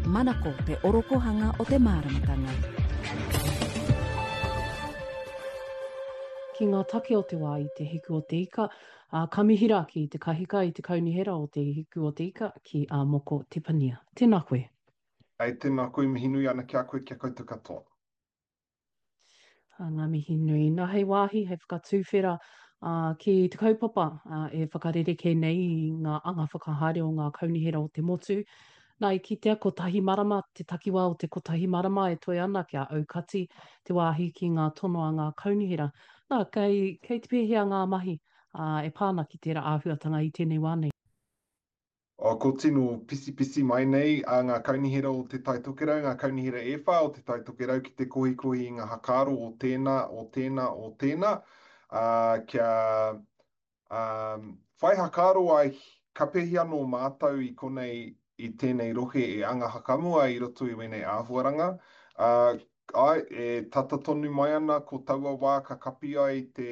Manako te orokohanga o te māramatanga. Ki ngā take o te wā i Te Hiku o Te Ika, ā, ka mihi rā ki te kahika i te kaunihera o Te Hiku o Te Ika, ki a Moko Tepania. Tēnā koe. Ei, tēnā koe, mihi nui ana ki a koe, ki a koutou katoa. Ngā mihi nui. Nā, hei wāhi, hei whakatūwhera ki te kaupapa e whakarerekē nei i ngā anga whakahaere o ngā kaunihera o te motu. Nā, i kitea kotahi marama, te takiwā o te kotahi marama e toe ana kia aukati te wāhi ki ngā tono a ngā kaunihera. Nā, kei, kei te pēhea ngā mahi e pā ana ki tērā āhuatanga i tēnei wā nei? Oh, ko tino pisipisi mai nei a ngā kaunihera o Te Tai Tokerau, ngā kaunihera e whā o Te Tai Tokerau ki te kohikohi i ngā hakaaro o tēnā, o tēnā, o tēnā, ā, kia, ā, whai hakaaro ai ka pēhi anō mātou i konei i tēnei rohe e anga hakamua i roto i wēnei āhuaranga. Ā, Āe, e tata tonu mai ana ko taua wā ka kapi ai te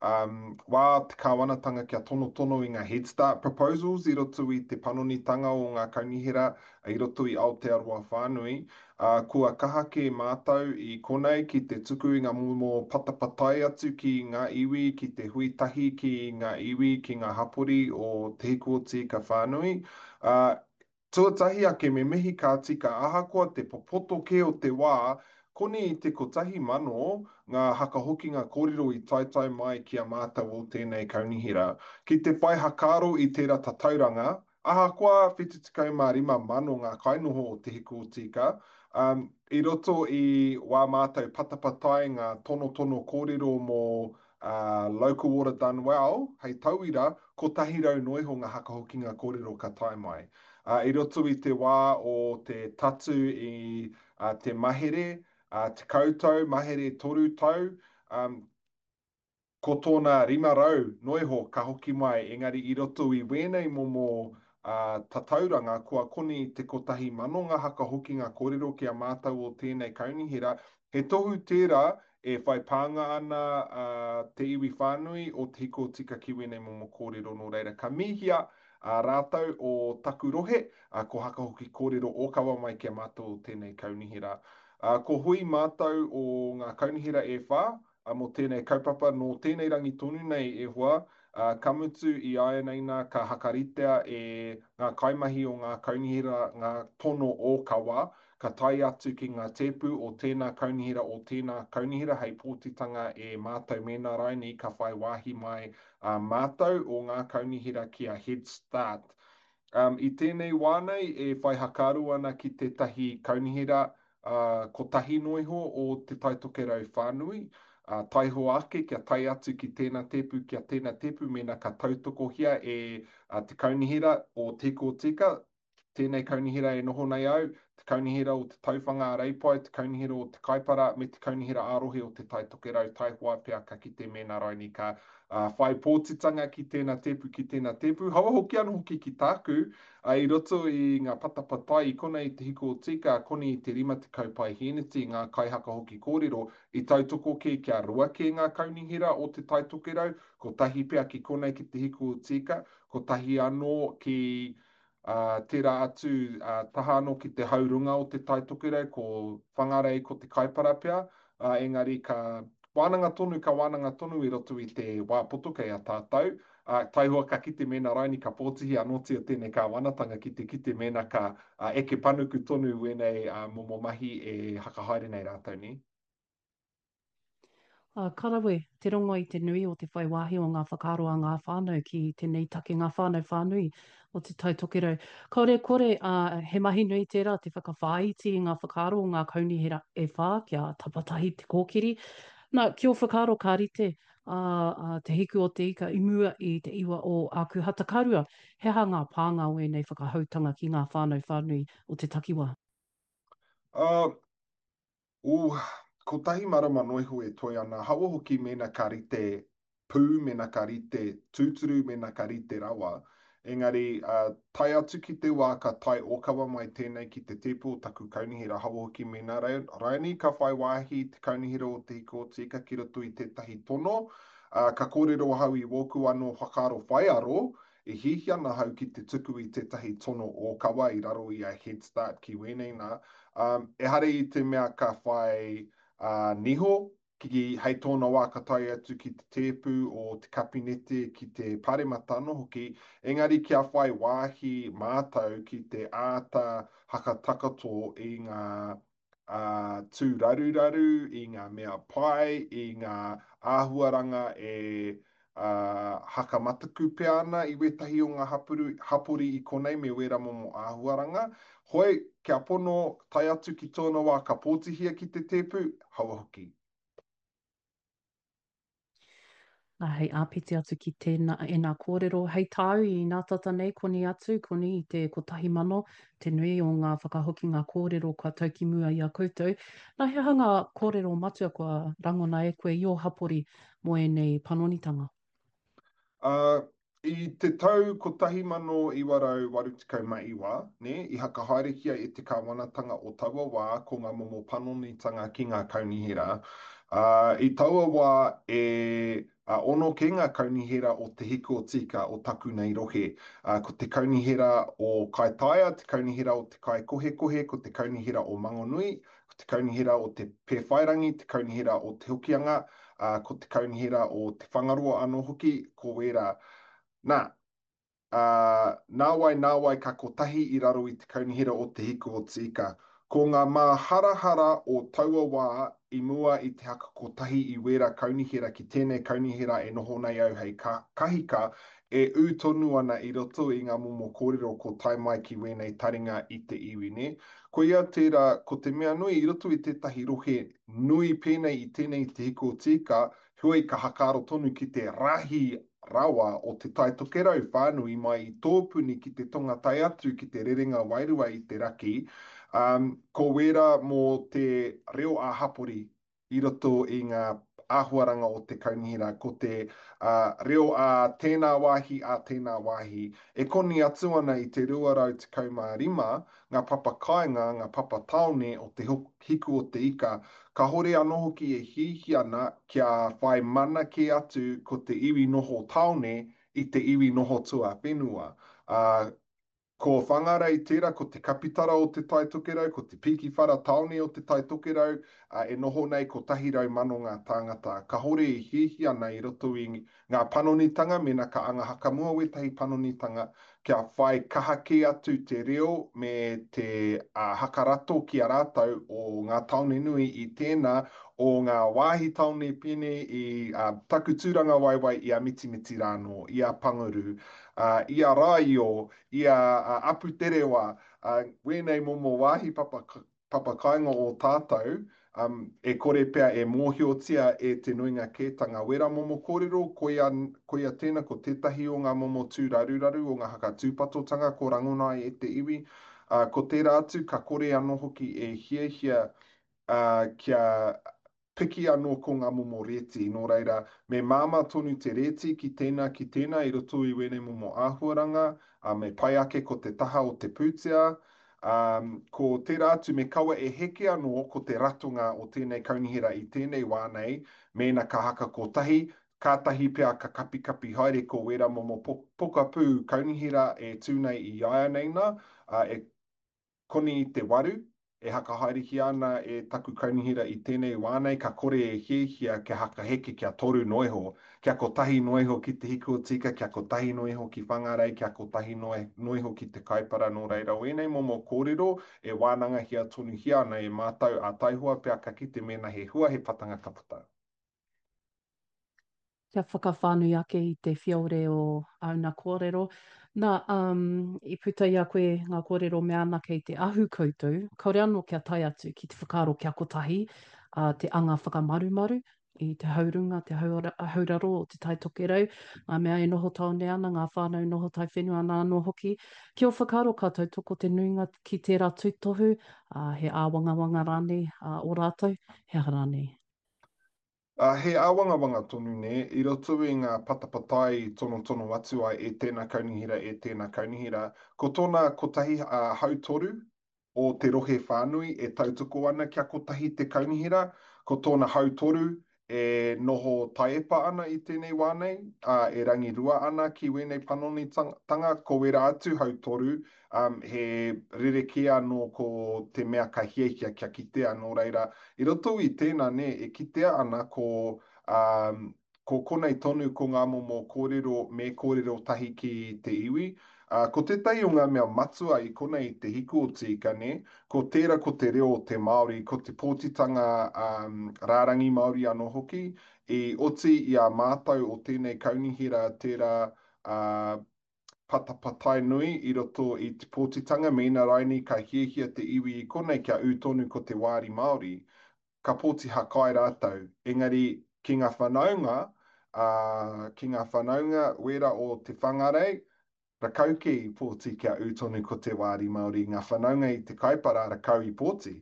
um, wā te kāwanatanga kia tonotono i ngā Head Start proposals i roto i te panonitanga o ngā kaunihera i roto i Aotearoa whānui. Ā, kua kaha kē mātou i konei ki te tuku i ngā momo patapatai atu ki ngā iwi, ki te hui tahi ki ngā iwi, ki ngā hapori o Te Hiku o Te Ika whānui. Ā, Tuatahi ake me mihi ka tika ahakoa te popoto kē o te wā, koni i te 1000 ngā hakahokinga kōrero i taetae mai ki a mātou o tēnei kaunihera. Ki te whai hakaaro i tērā tatauranga, ahakoa 75,000 ngā kainoho o Te Hiku o Tīka, i roto i wā mātou patapatai ngā tonotono kōrero mō ā, Local Water Done Well, hei tauira, 100 noa iho ngā hakahokinga kōrero ka tae mai. Ā, i roto i te wā o te tatu i te mahere, ā, 10 tau, mahere toru tau, ā, ko tōna 500 noa iho ka hoki mai, engari i roto i wēnei momo, ā, tatauranga kua koni i te 1,000 ngā hakahokinga kōrero ki a mātou o tēnei kaunihera, he tohu tērā E whai pānga ana te iwi whānui o Te Hiko Tika ki wēnei momo kōrero nō reira ka mihia rātou o taku rohe, ko Hakahoki kōrero ōkawa mai ki a mātou o tēnei kaunihera. Ko hui mātou o ngā kaunihera e whā mō tēnei kaupapa nō tēnei rangi tonu nei e hoa, ka mutu i āianei nā ka hakaritea e ngā kaimahi o ngā kaunihera ngā tono ōkawa Ka tae atu ki ngā tēpu o tēnā kaunihera o tēnā kaunihera hei pōtitanga e mātou mēnā rainī ka whai wāhi mai a mātou o ngā kaunihera ki a Head Start. Um, i tēnei wā nei e whai hakaaro ana ki tētahi kaunihera uh, kotahi noa iho o Te Tai Tokerau whānui, uh, taihoa ake kia tae atu ki tēnā tēpu, kia tēnā tēpu mēnā ka tautokohia e uh, te kaunihera o Te Ika o Tika, Tēnei kaunihera e noho nei au, te kaunihera o Te Tauwhanga a Reipae, te kaunihera o Te Kaipara, me te kaunihera ā-rohe o Te Tai Tokerau, taihoa pea ka kite mēnā raini ka whai pōtitanga ki tēnā tēpu, ki tēnā tēpu. Haua hoki anō hoki ki tāku, i roto i ngā patapatai i konei i Te Hiko o Tika, koni i te 50 paihēneti ngā kaihaka hoki kōrero, i tautoko kē kia roa kē ngā kaunihera o Te Tai Tokerau, kotahi pea ki konei ki Te Hiko o Tika, kotahi anō ki Ā, tērā atu, ā, taha anō ki te haurunga o Te Tai Tokerau, ko Whangarei, ko Te Kaipara pea, ā, engari ka wānanga tonu, ka wānanga tonu i roto i te wā poto kei a tātou, ā, taihoa ka kite mēnā raini ka pōtihi anōtia tēnei kāwanatanga ki te kite mēnā ka, ā, eke panuku tonu wēnei, ā, momo mahi e hakahaere nei rātou, nē. Ā, ka rawe te rongo i te nui o te whai wāhi o ngā whakaaro a ngā whānau ki tēnei take, ngā whānau whānui o Te Tai Tokerau. Kāore e kore, ā, he mahi nui tērā te whakawhāiti i ngā whakaaro o ngā kaunihera e whā kia tapatahi te kōkiri. Nā, ki ō whakaaro ka rite ā, ā, Te Hiku o te Ika i mua i te iwa o Ākuhata ka rua, he aha ngā pānga o ēnei whakahoutanga ki ngā whānau whānui o te takiwā? Ā, Ooh, kotahi marama noa iho e toe ana, haua hoki mēnā ka rite pū, mēnā ka rite tūturu, mēnā ka rite rawa. Engari, uh, tae atu ki te wā ka tae ōkawa mai tēnei ki te tēpu o taku kaunihera, haua hoki mēnā raini ka whai wāhi te kaunihera o Te Hiko o Te Ika ki roto i tētahi tono, uh, ka kōrero ahau i wōku anō whakaaro whaiaro, E hiahia ana ahau ki te tuku i tētahi tono ōkawa i raro i a Head Start ki wēnei nā. Ehara i te mea ka whai niho, ki, hei tōna wā ka tae atu ki te tēpu o te kapinete, ki te paremata anō hoki, engari kia whai wāhi mātou ki te āta hakatakato i ngā tūraruraru, i ngā mea pai, i ngā āhuaranga e hakamataku pea ana i wētahi o ngā hapuru, hapori i konei me wērā momo āhuaranga. Hoi, kia pono, tae atu ki tōna wā ka pōtihia ki te tēpu, haua hoki. Nā, hei āpiti atu ki tēnā, ēnā kōrero, hei tāu i nātata nei, koni atu, koni i te 1000, te nui o ngā whakahokinga kōrero kua tau ki mua i a koutou. Nā, he aha ngā kōrero matua kua rangona e koe i ō hapori mō ēnei panonitanga? Ā, i te tau 1989, nē, i hakahaerehia e te kāwanatanga o taua wā ko ngā momo panonitanga ki ngā kaunihera. Ā, i taua wā e ono kē ngā kaunihera o Te Hiku o Tika o taku nei rohe. Ā, ko te kaunihera o Kaitaia, te kaunihera o Te Kaikohekohe, ko te kaunihera o Mangonui, ko te kaunihera o Te Pēwhairangi, te kaunihera o Te Hokianga, ā, ko te kaunihera o Te Whangaroa anō hoki, ko wērā. Nā, ā, nāwai, nāwai ka kotahi i raro i te kaunihera o Te Hiku o Te Ika. Ko ngā māharahara o taua wā i mua i te haka kotahi i wērā kaunihera ki tēnei kaunihera e noho nei au hei kahika, e ū tonu ana i roto i ngā momo kōrero ko tae mai ki wēnei taringa i te iwi, nē. Koia tērā, ko te mea nui i roto i tētahi rohe nui pēnei i tēnei i Te Hiku o Tīka, heoi ka hakaaro tonu ki te rahi rawa o Te Tai Tokerau whānui mai i Tōpuni ki te tonga tae atu ki te rerenga wairua i te raki, ā, ko wērā mō te reo ā-hapori i roto i ngā āhuaranga o te kaunihera, ko te reo ā tēnā wāhi, ā tēnā wāhi. E koni atu ana i te 215 ngā papa kāinga, ngā papa tāone o te hiku o te ika, kāhore anō hoki e hiahia ana kia whai mana kē atu ko te iwi noho tāone i te iwi noho tuawhenua. Ā, Ko Whangarei tērā, ko te kapitara o Te Tai Tokerau, ko te pīkiwhara tāone o Te Tai Tokerau, ā, e noho nei 100,000 ngā tāngata. Kāhore e hiahia ana i roto i ngā panonitanga, mēnā ka anga hakamua wētahi panonitanga, kia whai kaha kē atu te reo me te hakarato ki a rātou o ngā tāone nui i tēnā o ngā wāhi tāone pēnei i taku tūrangawaewae i a Mitimiti rānō, i a Panguru, ā, i a Rāio, i a Aputerewa, ā, wēnei momo wāhi papa, papakāinga o tātou, ā, e kore pea e mōhiotia e te nuinga kētanga. Wērā momo kōrero, koia, koia tēnā, ko tētahi o ngā momo tūraruraru o ngā hakatūpatotanga ko rangona ai e te iwi, ā, ko tērā atu ka kore anō hoki e hiahia, ā, kia Piki anō ko ngā momo rēti, nō reira, me māmā tonu te rēti ki tēnā, ki tēnā i roto i wēnei momo āhuaranga, ā, me pai ake ko te taha o te pūtea, ā, ko tērā atu me kaua e heke anō ko te ratonga o tēnei kaunihera i tēnei wā nei, mēnā ka haka kotahi, kātahi pea ka kapikapi haere ko wērā momo pokapū kaunihera e tū nei i iaianei nā, ā, e Koni i te waru, e hakahaerehia ana e taku kaunihera i tenei wā nei, ka kore e hiahia kia hakaheke kia toru noa iho, kia kotahi noa iho ki Te Hiku o Tika, kia kotahi noa iho ki Whangarei, kia kotahi noa iho ki Te Kaipara, nō reira o ēnei momo kōrero e wānangahia tonuhia ana e mātou, ā taihoa pea ka kite mēnā he hua, he patanga ka puta. Kia whakawhānui ake i te whiore o āuna kōrero. Nā, um, i puta i a koe ngā kōrero mea ana kei te ahu koutou, kāore anō kia tae atu ki te whakaaro kia kotahi uh, te anga whakamarumaru i te haurunga, te hauraro o Te Tai Tokerau, ngā mea e noho tāone ana, ngā whānau noho taiwhenua ana anō hoki. Ki ō whakaaro ka tautoko te nuinga ki tērā tūtohu, uh, he āwangawanga rānei uh, o rātou, he aha rānei? Ā, he āwangawanga tonu nē, i roto i ngā patapatai i tonotono atu ai e tēnā kaunihera, e tēnā kaunihera. Ko tōna kotahi, ā, hautoru o te rohe whānui e tautoko ana kia kotahi te kaunihera, ko tōna hautoru e noho taiepa ana i tēnei wā nei, ā, e rangirua ana ki wēnei panonitanga, ko wērā atu hautoru, ā, he rerekē anō ko te mea ka hiahia kia kitea, nō reira, i roto i tēnā, nē, e kitea ana ko, ā, ko konei tonu ko ngā momo kōrero me kōrero tahi ki te iwi. Ā, ko tētahi o ngā mea matua i konei i te hiku o te ika, nē, ko tērā ko te reo o te Māori, ko te pōtitanga rārangi Māori anō hoki, i oti i a mātou o tēnei kaunihera tērā patapatai nui i roto i te pōtitanga, mēnā rainī ka hiahia te iwi i konei kia ū tonu ko te wāri Māori, ka pōti hakai rātou, engari ki ngā whanaunga, ā, ki ngā whanaunga wērā o Te Whangarei, rakau kē i pōti kia ū tonu ko te wāri Māori, ngā whanaunga i Te Kaipara rakau i pōti,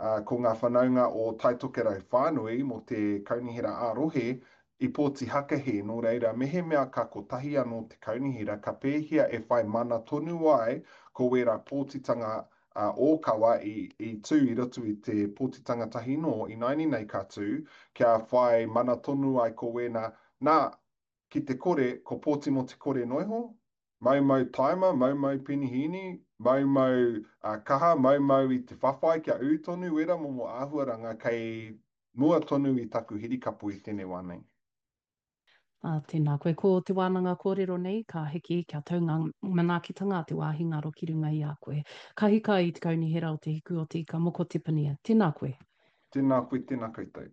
ā, ko ngā whanaunga o Taitokerau whānui mō te kaunihera ā-rohe i pōti hakahe, nō reira, mehemea ka kotahi anō te kaunihera, ka pēhea e whai mana tonu ai ko wērā pōtitanga ōkawa i, i tū i roto i te pōtitanga tahi nō ināiane nei ka tū, kia whai mana tonu ai ko wēnā, nā, ki te kore, ko pōti mō te kore noiho, maumau taima, maumau penihīni, maumau kaha, maumau i te whawhai kia ū tonu wērā momo āhuaranga kei mua tonu i taku hirikapo i tēnei wā nei. Ā, tēnā koe. Ko te wānanga kōrero nei, ka hiki kia tau ngā manaakitanga a te wāhi ngaro ki runga i a koe. Ka hika i te Kaunihera o Te Hiku o Te Ika Moko Te Pania. Tēnā koe. Tēnā koe, tēnā koutou.